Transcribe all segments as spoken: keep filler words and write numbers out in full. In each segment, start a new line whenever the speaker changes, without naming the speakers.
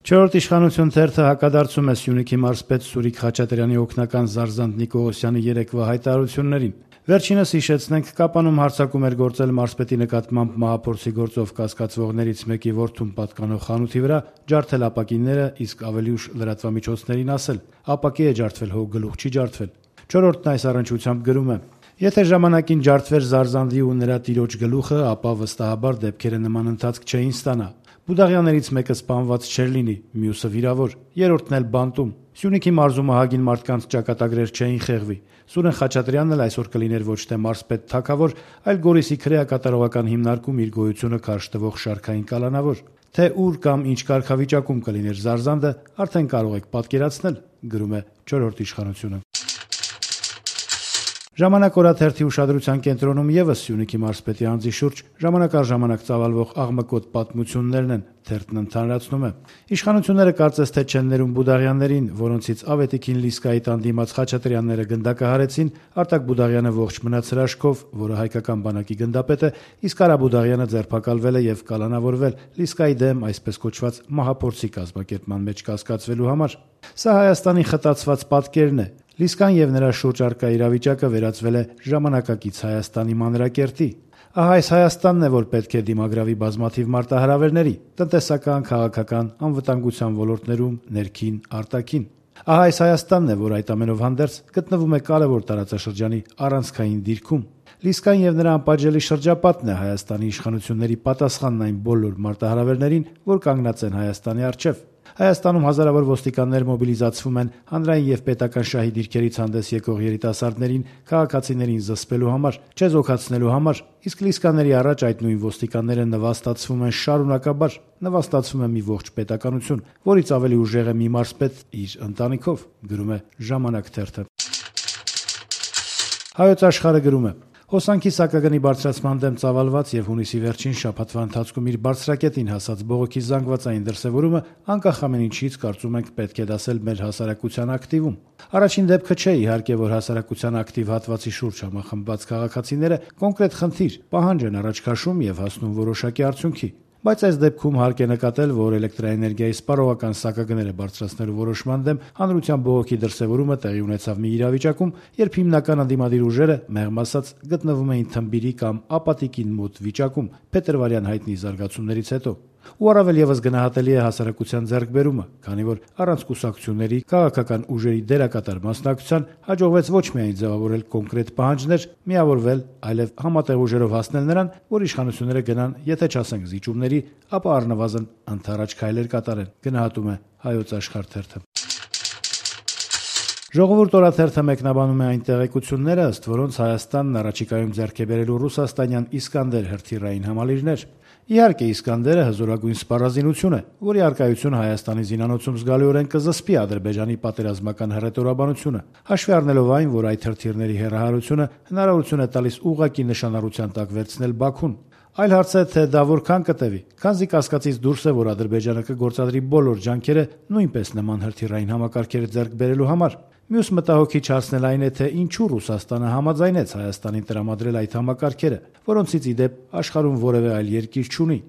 Չորրորդ իշխանություն թերթը հակադարձում է Սյունիքի մարզպետ Սուրիկ Խաչատրյանի օգնական Զարզանտ Նիկողոսյանի երեկվա հայտարարություններին։ Վերջինս հիշեցնենք կապանում հարձակում էր գործել մարզպետի նկատմամբ մահափորձի գործով կասկածվողներից մեկի որդուն պատկանող խանութի վրա, ջարդել ապակիները, իսկ ավելի ուշ լրատվամիջոցներին ասել՝ ապակի է ջարդվել, հո գլուխ չի ջարդվել։ Չորրորդն այս առնչությամբ գրում է. Եթե ժամանակին ջարդվեր Զարզանդի ու նրա տիրոջ գլուխը, ապա վստահաբար դեպքերը նման ընթացք չէին ստանա։ Բուդաղյաններից մեկը սպանված չէր լինի, մյուսը վիրավոր, երրորդն էլ բանտում։ Սյունիքի մարզում ահագին մարդկանց ճակատագրեր չէին խեղվի։ Սուրեն Խաչատրյանն էլ այսօր կլիներ ոչ թե մարզպետ թագավոր, այլ Գորիսի քրեակատարողական հիմնարկում իր գոյությունը քարշ տվող շարքային կալանավոր։ Թե ուր կամ ինչ կարգավիճակում կլիներ Զարզանդը, արդեն կարող եք պատկերացնել, գրում է չորրորդ իշխանությունը։ Ժամանակ օրաթերթի ուշադրության կենտրոնում ևս Սյունիքի մարզպետի անձի շուրջ ժամանակ առ ժամանակ ծավալվող աղմկոտ պատմություններն են, թերթն ընդհանրացնում է։ Իշխանությունները կարծես թե չեն ներում Բուդաղյաններին, որոնցից Ավետիքին Լիսկայի տան դիմաց Խաչատրյանները գնդակահարեցին, Արտակ Բուդաղյանը ողջ մնաց հրաշքով, որը հայկական բանակի գնդապետ է, իսկ Արա Բուդաղյանը ձերբակալվել է եւ կալանավորվել Լիսկայի դեմ այսպես կոչված մահափորձի կազմակերպման մեջ կասկածվելու համար։ Սա Հայաստանի խտացված պատկերն է։ Լիսկան եւ նրա շուրջ առկա իրավիճակը վերածվել է ժամանակակից Հայաստանի մանրակերտի։ Ահա այս Հայաստանն է, որ պետք է դիմագրավի բազմաթիվ մարտահրավերների՝ տնտեսական, քաղաքական, անվտանգության ոլորտներում, ներքին, արտաքին։ Ահա այս Հայաստանն է, որ այդ ամենով հանդերձ գտնվում է կարևոր տարածաշրջանի առանցքային դիրքում։ Լիսկան եւ նրա անպատժելի շրջապատն է Հայաստանի իշխանությունների պատասխանն այն բոլոր մարտահրավերներին, որ կանգնած են Հայաստանի առջև։ Հայաստանում հազարավոր ոստիկաններ մոբիլիզացվում են հանրային եւ պետական շահի դիրքերից հանդես եկող երիտասարդներին, քաղաքացիներին զսպելու համար, չեզոքացնելու համար, իսկ Լիսկաների առաջ այդ նույն ոստիկանները նվաստացվում են շարունակաբար, նվաստացվում է մի ողջ պետականություն, որից ավելի ուժեղ է մի մարզպետ իր ընտանիքով, գրում է Ժամանակ թերթը։ Հայոց Աշխարհը գրում է. Հոսանքի սակագնի բարձրացման դեմ ծավալված եւ հունիսի վերջին շաբաթվա ընթացքում իր բարձրակետին հասած բողոքի զանգվածային դրսեւորումը անկախ ամեն ինչից կարծում ենք պետք է դասել մեր հասարակության ակտիվում։ Առաջին դեպքը չէ իհարկե, որ հասարակության ակտիվ հատվածի շուրջ համախմբված քաղաքացիները կոնկրետ խնդիր, պահանջ են առաջ քաշում եւ հասնում որոշակի արդյունքի։ Բայց այս դեպքում հարկ է նկատել, որ էլեկտրաէներգիայի սպառողական սակագները բարձրացնելու որոշման դեմ հանրության բողոքի դրսեւորումը տեղի ունեցավ մի իրավիճակում, երբ հիմնական ընդդիմադիր ուժերը, մեղմ ասած, գտնվում էին թմբիրի կամ ապատիկին մոտ վիճակում փետրվարյան հայտնի զարգացումներից հետո։ Ու առավել եւս գնահատելի է հասարակության ձեռքբերումը, քանի որ առանց կուսակցությունների, քաղաքական ուժերի դերակատար մասնակցության հաջողվեց ոչ միայն ձևավորել կոնկրետ պահանջներ, միավորվել, այլև համատեղ ուժերով հասնել նրան, որ իշխանությունները գնան, եթե չասենք զիջումների, ապա առնվազն ընդառաջ քայլեր կատարեն, գնահատում է Հայոց Աշխարհ թերթը։ Ժողովուրդ օրաթերթը մեկնաբանում է այն տեղեկությունները, ըստ որոնց Հայաստանն առաջիկայում ձեռք է բերելու ռուսաստանյան Իսկանդեր հրթիռային համալիրներ։ Իհարկե Իսկանդերը հզորագույն սպառազինություն է, որի առկայությունը Հայաստանի զինանոցում զգալիորեն կզսպի Ադրբեջանի պատերազմական հռետորաբանությունը, հաշվի առնելով այն, որ այդ հրթիռների հեռահարությունը հնարավորություն է տալիս ուղղակի նշանառության տակ վերցնել Բաքուն։ Այլ հարց է, թե դա որքան կտևի, քանզի կասկածից դուրս է, որ Ադրբեջանը կգործադրի բոլոր ջանքերը նույնպես նման հրթիռային համակարգեր ձեռք բերելու համար։ Մյուս մտահոգիչ հարցն այն է, թե ինչու Ռուսաստանը համաձայնեց Հայաստանին տրամադրել այդ համակարգերը, որոնցից ի դեպ աշխարհում որևէ այլ երկիր չունի։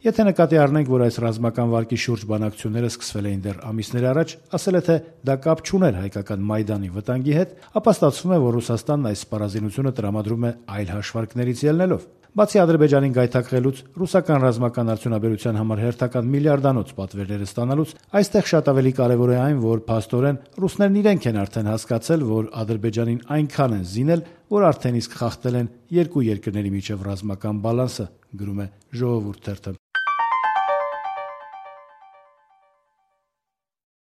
Եթե նկատի առնենք, որ այս ռազմական վարկի շուրջ բանակցությունները սկսվել էին դեռ ամիսներ առաջ, ասել է, թե դա կապ չուներ հայկական Մայդանի վտանգի հետ, ապա ստացվում է, որ Ռուսաստանն այս սպառազինությունը տրամադրում է այլ հաշվարկներից ելնելով։ Բացի Ադրբեջանին գայթակղելուց, ռուսական ռազմական արդյունաբերության համար հերթական միլիարդանոց պատվերները ստանալուց, այստեղ շատ ավելի կարևոր է այն, որ փաստորեն ռուսներն իրենք են արդեն հասկացել, որ Ադրբեջանին այնքան են զինել, որ արդեն իսկ խախտել են երկու երկրների միջև ռազմական բալանսը, գրում է Ժողովուրդ թերթը։